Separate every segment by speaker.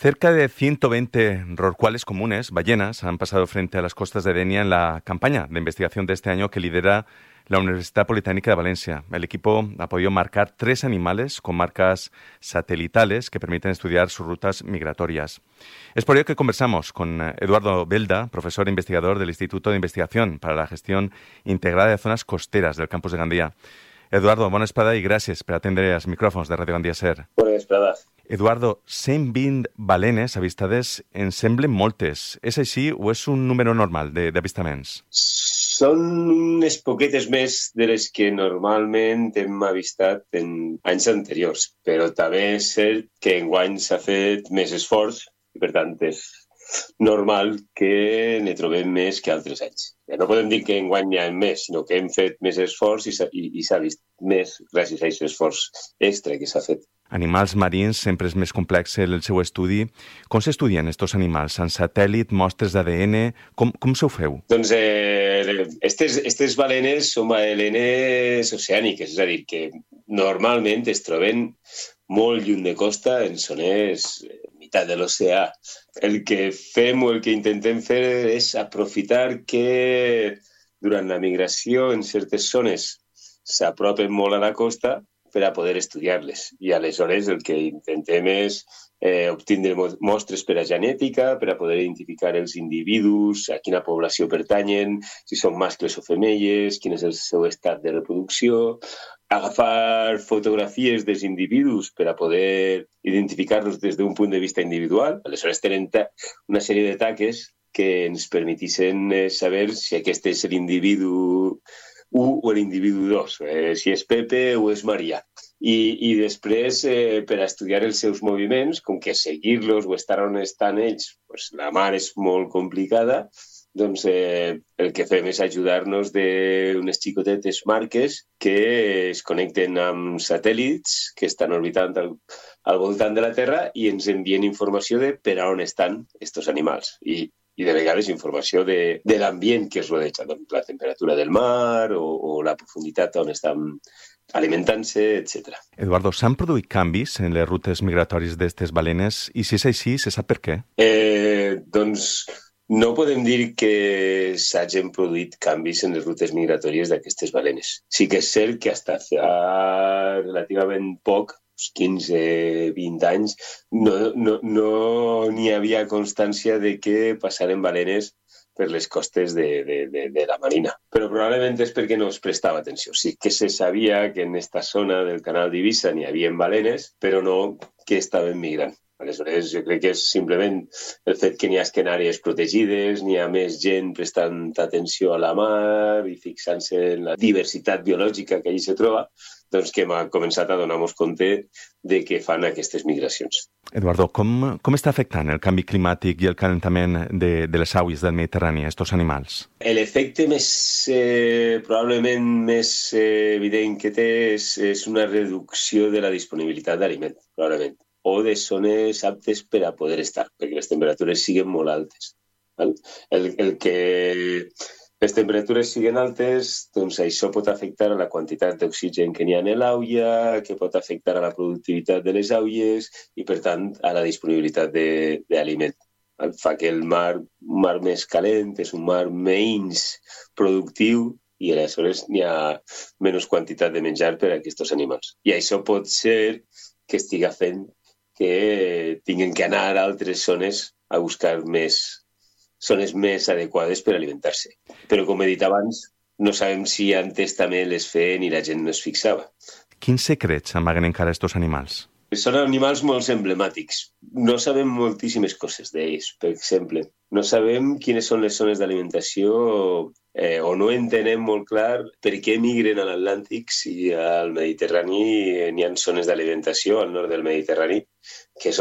Speaker 1: Cerca de 120 rorcuales comunes, ballenas, han pasado frente a las costas de Denia en la campaña de investigación de este año que lidera la Universidad Politécnica de Valencia. El equipo ha podido marcar 3 animales con marcas satelitales que permiten estudiar sus rutas migratorias. Es por ello que conversamos con Eduardo Belda, profesor e investigador del Instituto de Investigación para la Gestión Integrada de Zones Costeres del campus de Gandia. Eduardo, bona vesprada i gràcies per atendre els micròfons de Ràdio Gandia Ser.
Speaker 2: Bona vesprada.
Speaker 1: Eduardo, 120 balenes avistades en semblen moltes. És així o és un número normal d'avistaments?
Speaker 2: Són unes poquetes més de les que normalment hem avistat en anys anteriors, però també és cert que enguany s'ha fet més esforç i, per tant, és normal que ne trobem més que altres anys. Ja no podem dir que enguany n'hi ha més, sinó que hem fet més esforç i s'ha vist més gràcies a aquest esforç extra que s'ha fet.
Speaker 1: Animals marins sempre és més complex el seu estudi. Com s'estudien aquests animals? En satèl·lit, mostres d'ADN? Com s'ho feu?
Speaker 2: Doncs aquestes balenes són balenes oceàniques, és a dir, que normalment es troben molt lluny de costa, en zones meitat de l'oceà. El que fem o el que intentem fer és aprofitar que durant la migració en certes zones s'apropen molt a la costa per a poder estudiar-les. I aleshores el que intentem és obtindre mostres per a genètica, per a poder identificar els individus, a quina població pertanyen, si són mascles o femelles, quin és el seu estat de reproducció, agafar fotografies dels individus per a poder identificar-los des d'un punt de vista individual. Aleshores tenen una sèrie de taques que ens permetissin saber si aquest és l'individu 1 o l'individu 2, si és Pepe o és Maria. I després, per a estudiar els seus moviments, com que seguir-los o estar on estan ells, la mar és molt complicada, doncs el que fem és ajudar-nos d'unes xicotetes marques que es connecten amb satèl·lits que estan orbitant al voltant de la Terra i ens envien informació de per a on estan aquests animals. I de vegades informació de l'ambient que es rodeja, doncs la temperatura del mar o la profunditat on estan alimentant-se, etc.
Speaker 1: Eduardo, s'han produït canvis en les rutes migratòries d'aquestes balenes i si és així, se sap per què?
Speaker 2: Doncs no podem dir que s'hagin produït canvis en les rutes migratòries d'aquestes balenes. Sí que és cert que fins fa relativament poc, 15-20 anys, no n'hi havia constància de que passaren balenes per les costes de la Marina. Però probablement és perquè no es prestava atenció. Sí que se sabia que en aquesta zona del canal d'Eivissa n'hi havia balenes, però no que estaven migrant. Aleshores, jo crec que és simplement el fet que n'hi ha en àrees protegides, n'hi ha més gent prestant atenció a la mar i fixant-se en la diversitat biològica que allí se troba, doncs que hem començat a donar-nos compte de que fan aquestes migracions.
Speaker 1: Eduardo, com està afectant el canvi climàtic i el calentament de les aigües del Mediterrani a aquests animals?
Speaker 2: L'efecte probablement més evident que té és una reducció de la disponibilitat d'aliment, probablement, o de zones aptes per a poder estar, perquè les temperatures siguin molt altes. El que les temperatures siguin altes, doncs això pot afectar a la quantitat d'oxigen que n'hi ha en l'aigua, que pot afectar a la productivitat de les aigües i, per tant, a la disponibilitat d'aliment. Fa que el mar, un mar més calent, és un mar menys productiu i aleshores n'hi ha menys quantitat de menjar per a aquests animals. I això pot ser que estigui fent que tinguin que anar a altres zones a buscar zones més adequades per alimentar-se. Però, com he dit abans, no sabem si antes també les feien i la gent no es fixava.
Speaker 1: Quins secrets amaguen encara aquests animals?
Speaker 2: Són animals molt emblemàtics. No sabem moltíssimes coses d'ells, per exemple. No sabem quines són les zones d'alimentació o no entenem molt clar per què migren a l'Atlàntic si al Mediterrani n'hi ha zones d'alimentació al nord del Mediterrani que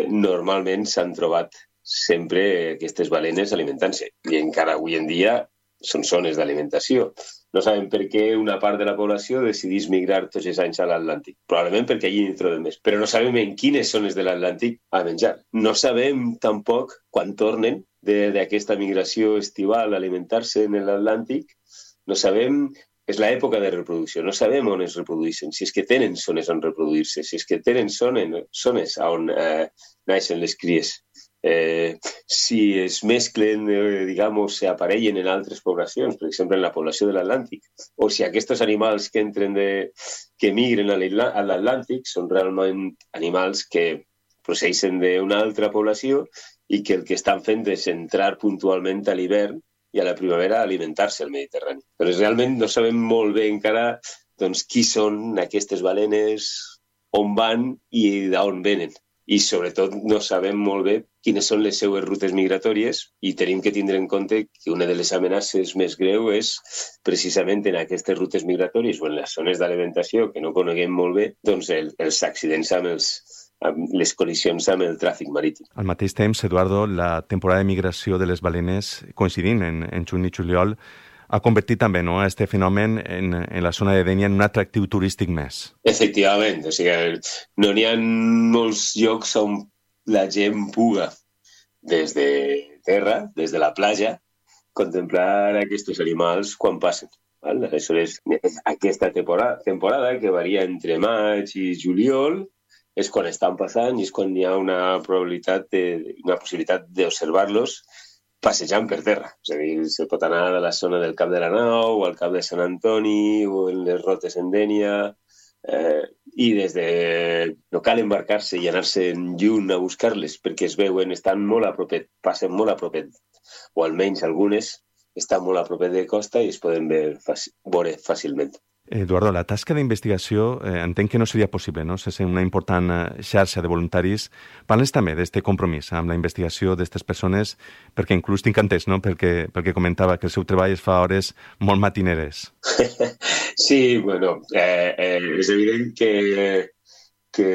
Speaker 2: normalment s'han trobat sempre aquestes balenes alimentant-se. I encara avui en dia són zones d'alimentació. No sabem per què una part de la població decidís migrar tots els anys a l'Atlàntic. Probablement perquè allí n'hi trobem més. Però no sabem en quines zones de l'Atlàntic a menjar. No sabem tampoc quan tornen d'aquesta migració estival a alimentar-se en l'Atlàntic. No sabem és l'època de reproducció. No sabem on es reprodueixen, si és que tenen zones on reproduir-se, si és que tenen zones on naixen les cries. Si es mesclen, digamos, se aparellen en altres poblacions, per exemple, en la població de l'Atlàntic, o si aquests animals que que migren a l'Atlàntic són realment animals que procedeixen d'una altra població i que el que estan fent és entrar puntualment a l'hivern i a la primavera a alimentar-se al Mediterrani. Però realment no sabem molt bé encara qui són aquestes balenes, on van i d'on venen. I sobretot no sabem molt bé quines són les seues rutes migratòries i tenim que tindre en compte que una de les amenaces més greus és precisament en aquestes rutes migratòries o en les zones d'alimentació que no coneguem molt bé, els accidents amb les col·lisions amb el tràfic marítim.
Speaker 1: Al mateix temps, Eduardo, la temporada de migració de les balenes, coincidint en juny i juliol, ha convertit també aquest fenomen en la zona de Dénia en un atractiu turístic més.
Speaker 2: Efectivament, o sigui, no n'hi ha molts llocs on la gent puga des de terra, des de la platja, contemplar aquests animals quan passen. Aleshores, aquesta temporada que varia entre maig i juliol és quan estan passant i és quan hi ha una possibilitat d'observar-los passejant per terra. És a dir, se pot anar a la zona del Cap de la Nau o al Cap de Sant Antoni o en les rotes en Dénia i no cal embarcar-se i anar-se lluny a buscar-les perquè es veuen, estan molt a propet, passen molt a propet, o almenys algunes estan molt a propet de costa i es poden veure fàcilment.
Speaker 1: Eduardo, la tasca d'investigació entenc que no seria possible, no? Sense una important xarxa de voluntaris. Parles també d'este compromís amb la investigació d'aquestes persones, perquè inclús tinc entès, no? Perquè comentava que el seu treball es fa a hores molt matineres.
Speaker 2: Sí, bueno, és evident que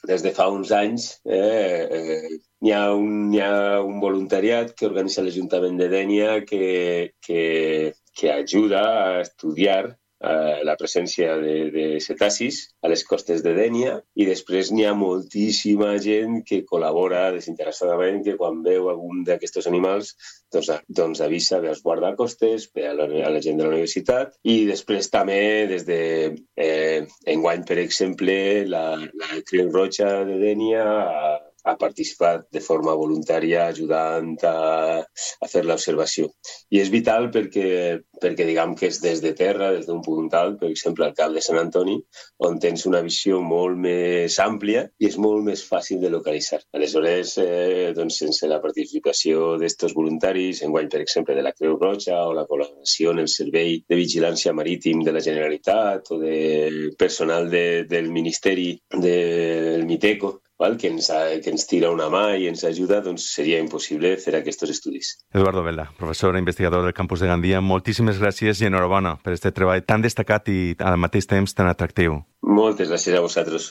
Speaker 2: des de fa uns anys hi ha un voluntariat que organitza l'Ajuntament de Dénia que ajuda a estudiar la presència de cetacis a les costes de Dénia i després n'hi ha moltíssima gent que col·labora desinteressadament que quan veu algun d'aquests animals doncs avisa ve als guardacostes, ve a la gent de la universitat i després també des de enguany, per exemple, la Creu Roja de Dénia ha participat de forma voluntària ajudant a fer l'observació. I és vital perquè diguem que és des de terra, des d'un punt alt, per exemple, al Cap de Sant Antoni, on tens una visió molt més àmplia i és molt més fàcil de localitzar. Aleshores, sense la participació d'estos voluntaris, enguany, per exemple, de la Creu Roja o la col·laboració en el Servei de Vigilància Marítim de la Generalitat o del personal del Ministeri del Miteco, que ens tira una mà i ens ajuda, doncs seria impossible fer aquests estudis.
Speaker 1: Eduardo Vela, professor i investigador del campus de Gandia, moltíssimes gràcies i enhorabona per aquest treball tan destacat i al mateix temps tan atractiu.
Speaker 2: Moltes gràcies a vosaltres.